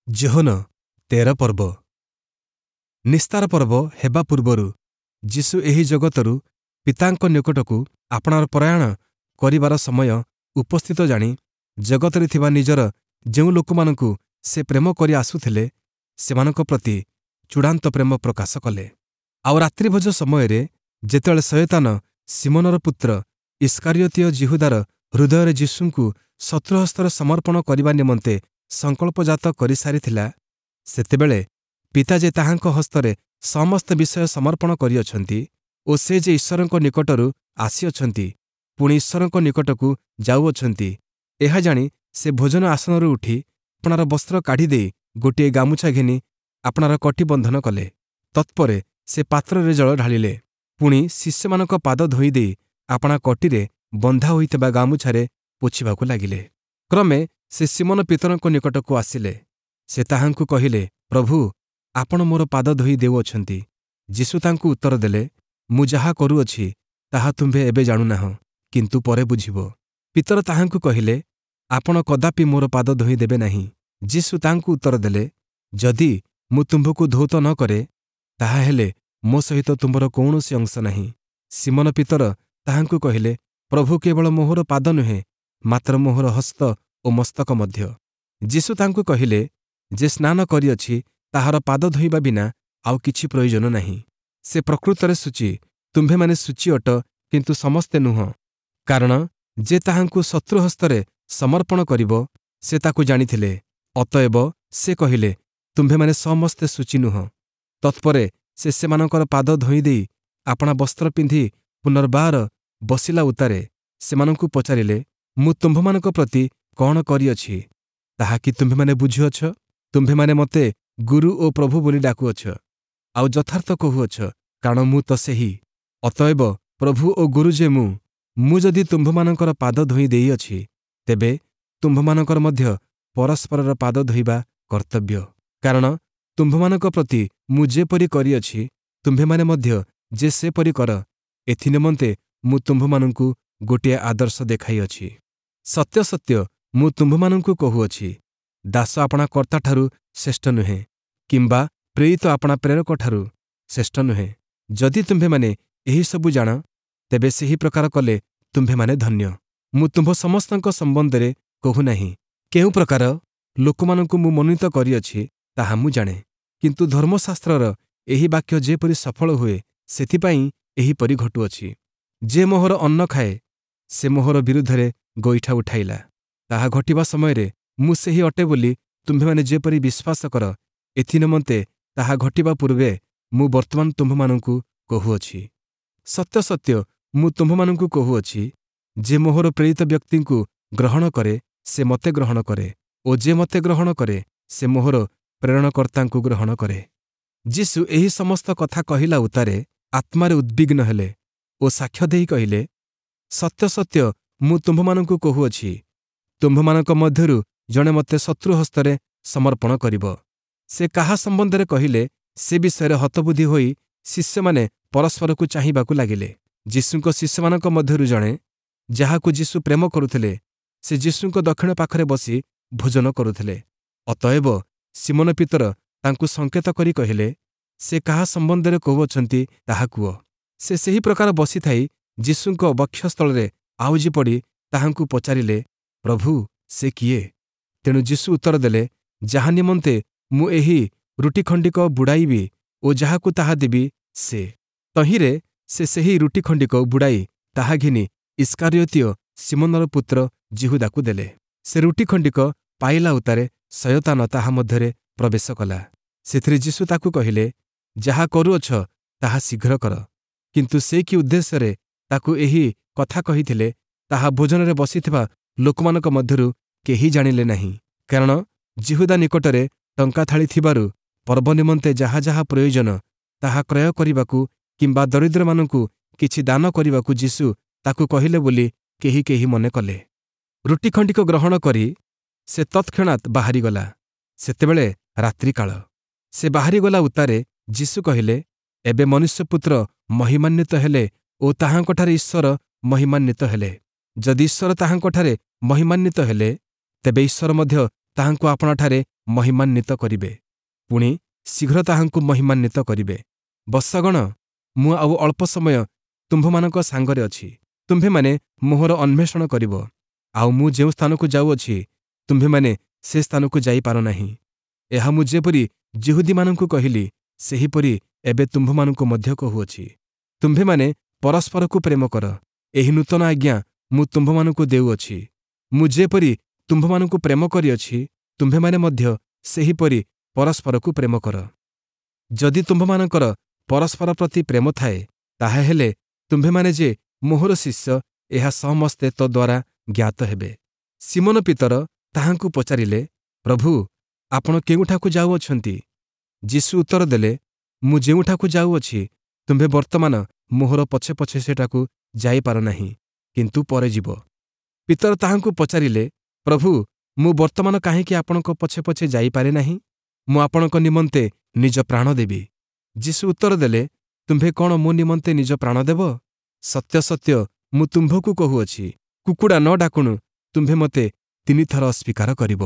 ଯୋହନ 13 ପର୍ବ। ନିସ୍ତାର ପର୍ବ ହେବା ପୂର୍ବରୁ ଯୀଶୁ ଏହି ଜଗତରୁ ପିତାଙ୍କ ନିକଟକୁ ଆପଣାର ପ୍ରୟାଣ କରିବାର ସମୟ ଉପସ୍ଥିତ ଜାଣି ଜଗତରେ ଥିବା ନିଜର ଯେଉଁ ଲୋକମାନଙ୍କୁ ସେ ପ୍ରେମ କରି ଆସୁଥିଲେ, ସେମାନଙ୍କ ପ୍ରତି ଚୂଡ଼ାନ୍ତ ପ୍ରେମ ପ୍ରକାଶ କଲେ। ଆଉ ରାତ୍ରିଭୋଜ ସମୟରେ ଯେତେବେଳେ ଶୟତାନ ଶିମୋନର ପୁତ୍ର ଇଷ୍କାରିୟୋତୀୟ ଯିହୁଦାର ହୃଦୟରେ ଯୀଶୁଙ୍କୁ ଶତ୍ରୁହସ୍ତରେ ସମର୍ପଣ କରିବା ନିମନ୍ତେ ସଂକଳ୍ପଜାତ କରିସାରିଥିଲା, ସେତେବେଳେ ପିତା ଯେ ତାହାଙ୍କ ହସ୍ତରେ ସମସ୍ତ ବିଷୟ ସମର୍ପଣ କରିଅଛନ୍ତି ଓ ସେ ଯେ ଈଶ୍ୱରଙ୍କ ନିକଟରୁ ଆସିଅଛନ୍ତି, ପୁଣି ଈଶ୍ୱରଙ୍କ ନିକଟକୁ ଯାଉଅଛନ୍ତି, ଏହା ଜାଣି ସେ ଭୋଜନ ଆସନରୁ ଉଠି ଆପଣାର ବସ୍ତ୍ର କାଢ଼ିଦେଇ ଗୋଟିଏ ଗାମୁଛା ଘେନି ଆପଣାର କଟିବନ୍ଧନ କଲେ। ତତ୍ପରେ ସେ ପାତ୍ରରେ ଜଳ ଢାଳିଲେ, ପୁଣି ଶିଷ୍ୟମାନଙ୍କ ପାଦ ଧୋଇଦେଇ ଆପଣା କଟିରେ ବନ୍ଧା ହୋଇଥିବା ଗାମୁଛାରେ ପୋଛିବାକୁ ଲାଗିଲେ। କ୍ରମେ ସେ ଶିମୋନ ପିତରଙ୍କ ନିକଟକୁ ଆସିଲେ। ସେ ତାହାଙ୍କୁ କହିଲେ, ପ୍ରଭୁ, ଆପଣ ମୋର ପାଦ ଧୋଇ ଦେଉଅଛନ୍ତି? ଯୀଶୁ ତାଙ୍କୁ ଉତ୍ତର ଦେଲେ, ମୁଁ ଯାହା କରୁଅଛି ତାହା ତୁମ୍ଭେ ଏବେ ଜାଣୁନାହଁ, କିନ୍ତୁ ପରେ ବୁଝିବ। ପିତର ତାହାଙ୍କୁ କହିଲେ, ଆପଣ କଦାପି ମୋର ପାଦ ଧୋଇ ଦେବେ ନାହିଁ। ଯୀଶୁ ତାଙ୍କୁ ଉତ୍ତର ଦେଲେ, ଯଦି ମୁଁ ତୁମ୍ଭକୁ ଧୌତ ନ କରେ, ତାହାହେଲେ ମୋ ସହିତ ତୁମ୍ଭର କୌଣସି ଅଂଶ ନାହିଁ। ଶିମୋନ ପିତର ତାହାଙ୍କୁ କହିଲେ, ପ୍ରଭୁ, କେବଳ ମୋହର ପାଦ ନୁହେଁ, ମାତ୍ର ମୋହର ହସ୍ତ ଓ ମସ୍ତକ ମଧ୍ୟ। ଯୀଶୁ ତାଙ୍କୁ କହିଲେ, ଯେ ସ୍ନାନ କରିଅଛି ତାହାର ପାଦ ଧୋଇବା ବିନା ଆଉ କିଛି ପ୍ରୟୋଜନ ନାହିଁ। ସେ ପ୍ରକୃତରେ ଶୁଚି। ତୁମ୍ଭେମାନେ ଶୁଚି ଅଟ, କିନ୍ତୁ ସମସ୍ତେ ନୁହଁ। କାରଣ ଯେ ତାହାଙ୍କୁ ଶତ୍ରୁ ହସ୍ତରେ ସମର୍ପଣ କରିବ, ସେ ତାକୁ ଜାଣିଥିଲେ। ଅତଏବ ସେ କହିଲେ, ତୁମ୍ଭେମାନେ ସମସ୍ତେ ଶୁଚି ନୁହଁ। ତତ୍ପରେ ସେ ସେମାନଙ୍କର ପାଦ ଧୋଇଦେଇ ଆପଣା ବସ୍ତ୍ର ପିନ୍ଧି ପୁନର୍ବାର ବସିଲା ଉତ୍ତାରେ ସେମାନଙ୍କୁ ପଚାରିଲେ, ମୁଁ ତୁମ୍ଭମାନଙ୍କ ପ୍ରତି କଣ କରିଅଛି, ତାହା କି ତୁମ୍ଭେମାନେ ବୁଝୁଅଛ? ତୁମ୍ଭେମାନେ ମୋତେ ଗୁରୁ ଓ ପ୍ରଭୁ ବୋଲି ଡାକୁଅଛ, ଆଉ ଯଥାର୍ଥ କହୁଅଛ, କାରଣ ମୁଁ ତ ସେହି। ଅତଏବ ପ୍ରଭୁ ଓ ଗୁରୁ ଯେ ମୁଁ, ମୁଁ ଯଦି ତୁମ୍ଭମାନଙ୍କର ପାଦ ଧୋଇ ଦେଇଅଛି, ତେବେ ତୁମ୍ଭମାନଙ୍କର ମଧ୍ୟ ପରସ୍ପରର ପାଦ ଧୋଇବା କର୍ତ୍ତବ୍ୟ। କାରଣ ତୁମ୍ଭମାନଙ୍କ ପ୍ରତି ମୁଁ ଯେପରି କରିଅଛି, ତୁମ୍ଭେମାନେ ମଧ୍ୟ ଯେ ସେପରି କର, ଏଥିନିମନ୍ତେ ମୁଁ ତୁମ୍ଭମାନଙ୍କୁ ଗୋଟିଏ ଆଦର୍ଶ ଦେଖାଇଅଛି। ସତ୍ୟ ସତ୍ୟ ମୁଁ ତୁମ୍ଭମାନଙ୍କୁ କହୁଅଛି, ଦାସ ଆପଣା କର୍ତ୍ତାଠାରୁ ଶ୍ରେଷ୍ଠ ନୁହେଁ, କିମ୍ବା ପ୍ରେରିତ ଆପଣା ପ୍ରେରକଠାରୁ ଶ୍ରେଷ୍ଠ ନୁହେଁ। ଯଦି ତୁମ୍ଭେମାନେ ଏହିସବୁ ଜାଣ, ତେବେ ସେହି ପ୍ରକାର କଲେ ତୁମ୍ଭେମାନେ ଧନ୍ୟ। ମୁଁ ତୁମ୍ଭ ସମସ୍ତଙ୍କ ସମ୍ବନ୍ଧରେ କହୁନାହିଁ। କେଉଁ ପ୍ରକାର ଲୋକମାନଙ୍କୁ ମୁଁ ମନୋନୀତ କରିଅଛି, ତାହା ମୁଁ ଜାଣେ। କିନ୍ତୁ ଧର୍ମଶାସ୍ତ୍ରର ଏହି ବାକ୍ୟ ଯେପରି ସଫଳ ହୁଏ, ସେଥିପାଇଁ ଏହିପରି ଘଟୁଅଛି। ଯେ ମୋହର ଅନ୍ନ ଖାଏ, ସେ ମୋହର ବିରୁଦ୍ଧରେ ଗୋଇଠା ଉଠାଇଲା। ତାହା ଘଟିବା ସମୟରେ ମୁଁ ସେହି ଅଟେ ବୋଲି ତୁମ୍ଭେମାନେ ଯେପରି ବିଶ୍ୱାସ କର, ଏଥିନିମନ୍ତେ ତାହା ଘଟିବା ପୂର୍ବେ ମୁଁ ବର୍ତ୍ତମାନ ତୁମ୍ଭମାନଙ୍କୁ କହୁଅଛି। ସତ୍ୟ ସତ୍ୟ ମୁଁ ତୁମ୍ଭମାନଙ୍କୁ କହୁଅଛି, ଯେ ମୋହର ପ୍ରେରିତ ବ୍ୟକ୍ତିଙ୍କୁ ଗ୍ରହଣ କରେ, ସେ ମୋତେ ଗ୍ରହଣ କରେ ଓ ଯେ ମୋତେ ଗ୍ରହଣ କରେ, ସେ ମୋହର ପ୍ରେରଣକର୍ତ୍ତାଙ୍କୁ ଗ୍ରହଣ କରେ। ଯୀଶୁ ଏହି ସମସ୍ତ କଥା କହିଲା ଉତ୍ତାରେ ଆତ୍ମାରେ ଉଦ୍ବିଗ୍ନ ହେଲେ ଓ ସାକ୍ଷ୍ୟ ଦେଇ କହିଲେ, ସତ୍ୟ ସତ୍ୟ ମୁଁ ତୁମ୍ଭମାନଙ୍କୁ କହୁଅଛି, ତୁମ୍ଭମାନଙ୍କ ମଧ୍ୟରୁ ଜଣେ ମୋତେ ଶତ୍ରୁ ହସ୍ତରେ ସମର୍ପଣ କରିବ। ସେ କାହା ସମ୍ବନ୍ଧରେ କହିଲେ, ସେ ବିଷୟରେ ହତବୁଦ୍ଧି ହୋଇ ଶିଷ୍ୟମାନେ ପରସ୍ପରକୁ ଚାହିଁବାକୁ ଲାଗିଲେ। ଯୀଶୁଙ୍କ ଶିଷ୍ୟମାନଙ୍କ ମଧ୍ୟରୁ ଜଣେ, ଯାହାକୁ ଯୀଶୁ ପ୍ରେମ କରୁଥିଲେ, ସେ ଯୀଶୁଙ୍କ ଦକ୍ଷିଣ ପାଖରେ ବସି ଭୋଜନ କରୁଥିଲେ। ଅତଏବ ଶିମୋନ ପିତର ତାଙ୍କୁ ସଂକେତ କରି କହିଲେ, ସେ କାହା ସମ୍ବନ୍ଧରେ କହୁଅଛନ୍ତି ତାହା କୁହ। ସେ ସେହି ପ୍ରକାର ବସିଥାଇ ଯୀଶୁଙ୍କ ବକ୍ଷସ୍ଥଳରେ ଆଉଜି ପଡ଼ି ତାହାଙ୍କୁ ପଚାରିଲେ, ପ୍ରଭୁ, ସେ କିଏ? ତେଣୁ ଯୀଶୁ ଉତ୍ତର ଦେଲେ, ଯାହା ନିମନ୍ତେ ମୁଁ ଏହି ରୁଟି ଖଣ୍ଡିକ ବୁଡ଼ାଇବି ଓ ଯାହାକୁ ତାହା ଦେବି, ସେ। ତହିଁରେ ସେ ସେହି ରୁଟି ଖଣ୍ଡିକ ବୁଡ଼ାଇ ତାହା ଘେନି ଇଷ୍କାରିୟୋତୀୟ ଶିମୋନର ପୁତ୍ର ଯିହୁଦାକୁ ଦେଲେ। ସେ ରୁଟି ଖଣ୍ଡିକ ପାଇଲା ଉତ୍ତାରେ ଶୟତାନ ତାହା ମଧ୍ୟରେ ପ୍ରବେଶ କଲା। ସେଥିରେ ଯୀଶୁ ତାକୁ କହିଲେ, ଯାହା କରୁଅଛ ତାହା ଶୀଘ୍ର କର। କିନ୍ତୁ ସେ କି ଉଦ୍ଦେଶ୍ୟରେ ତାକୁ ଏହି କଥା କହିଥିଲେ, ତାହା ଭୋଜନରେ ବସିଥିବା ଲୋକମାନଙ୍କ ମଧ୍ୟରୁ କେହି ଜାଣିଲେ ନାହିଁ। କାରଣ ଯିହୁଦା ନିକଟରେ ଟଙ୍କା ଥାଳି ଥିବାରୁ ପର୍ବ ନିମନ୍ତେ ଯାହା ଯାହା ପ୍ରୟୋଜନ ତାହା କ୍ରୟ କରିବାକୁ କିମ୍ବା ଦରିଦ୍ରମାନଙ୍କୁ କିଛି ଦାନ କରିବାକୁ ଯୀଶୁ ତାକୁ କହିଲେ ବୋଲି କେହି କେହି ମନେ କଲେ। ରୁଟି ଖଣ୍ଡିକ ଗ୍ରହଣ କରି ସେ ତତ୍କ୍ଷଣାତ୍ ବାହାରିଗଲା। ସେତେବେଳେ ରାତ୍ରିକାଳ। ସେ ବାହାରିଗଲା ଉତ୍ତାରେ ଯୀଶୁ କହିଲେ, ଏବେ ମନୁଷ୍ୟପୁତ୍ର ମହିମାନ୍ୱିତ ହେଲେ ଓ ତାହାଙ୍କଠାରେ ଈଶ୍ୱର ମହିମାନ୍ୱିତ ହେଲେ। ଯଦି ଈଶ୍ୱର ତାହାଙ୍କଠାରେ ମହିମାନ୍ୱିତ ହେଲେ, ତେବେ ଈଶ୍ୱର ମଧ୍ୟ ତାହାଙ୍କୁ ଆପଣାଠାରେ ମହିମାନ୍ୱିତ କରିବେ, ପୁଣି ଶୀଘ୍ର ତାହାଙ୍କୁ ମହିମାନ୍ୱିତ କରିବେ। ବତ୍ସଗଣ, ମୁଁ ଆଉ ଅଳ୍ପ ସମୟ ତୁମ୍ଭମାନଙ୍କ ସାଙ୍ଗରେ ଅଛି। ତୁମ୍ଭେମାନେ ମୋହର ଅନ୍ୱେଷଣ କରିବ, ଆଉ ମୁଁ ଯେଉଁ ସ୍ଥାନକୁ ଯାଉଅଛି ତୁମ୍ଭେମାନେ ସେ ସ୍ଥାନକୁ ଯାଇପାର ନାହିଁ। ଏହା ମୁଁ ଯେପରି ଯିହୁଦୀମାନଙ୍କୁ କହିଲି, ସେହିପରି ଏବେ ତୁମ୍ଭମାନଙ୍କୁ ମଧ୍ୟ କହୁଅଛି। ତୁମ୍ଭେମାନେ ପରସ୍ପରକୁ ପ୍ରେମ କର। ଏହି ନୂତନ ଆଜ୍ଞା ମୁଁ ତୁମ୍ଭମାନଙ୍କୁ ଦେଉଅଛି। ମୁଁ ଯେପରି ତୁମ୍ଭମାନଙ୍କୁ ପ୍ରେମ କରିଅଛି, ତୁମ୍ଭେମାନେ ମଧ୍ୟ ସେହିପରି ପରସ୍ପରକୁ ପ୍ରେମ କର। ଯଦି ତୁମ୍ଭମାନଙ୍କର ପରସ୍ପର ପ୍ରତି ପ୍ରେମ ଥାଏ, ତାହାହେଲେ ତୁମ୍ଭେମାନେ ଯେ ମୋହର ଶିଷ୍ୟ, ଏହା ସମସ୍ତେ ତଦ୍ୱାରା ଜ୍ଞାତ ହେବେ। ସିମୋନ ପିତର ତାହାଙ୍କୁ ପଚାରିଲେ, ପ୍ରଭୁ, ଆପଣ କେଉଁଠାକୁ ଯାଉଅଛନ୍ତି? ଯୀଶୁ ଉତ୍ତର ଦେଲେ, ମୁଁ ଯେଉଁଠାକୁ ଯାଉଅଛି ତୁମ୍ଭେ ବର୍ତ୍ତମାନ ମୋହର ପଛେ ପଛେ ସେଠାକୁ ଯାଇପାର ନାହିଁ, କିନ୍ତୁ ପରେ ଯିବ। ପିତର ତାହାଙ୍କୁ ପଚାରିଲେ, ପ୍ରଭୁ, ମୁଁ ବର୍ତ୍ତମାନ କାହିଁକି ଆପଣଙ୍କ ପଛେ ପଛେ ଯାଇପାରେ ନାହିଁ? ମୁଁ ଆପଣଙ୍କ ନିମନ୍ତେ ନିଜ ପ୍ରାଣ ଦେବି। ଯୀଶୁ ଉତ୍ତର ଦେଲେ, ତୁମ୍ଭେ କ'ଣ ମୋ ନିମନ୍ତେ ନିଜ ପ୍ରାଣ ଦେବ? ସତ୍ୟ ସତ୍ୟ ମୁଁ ତୁମ୍ଭକୁ କହୁଅଛି, କୁକୁଡ଼ା ନ ଡାକୁଣୁ ତୁମ୍ଭେ ମୋତେ ତିନିଥର ଅସ୍ୱୀକାର କରିବ।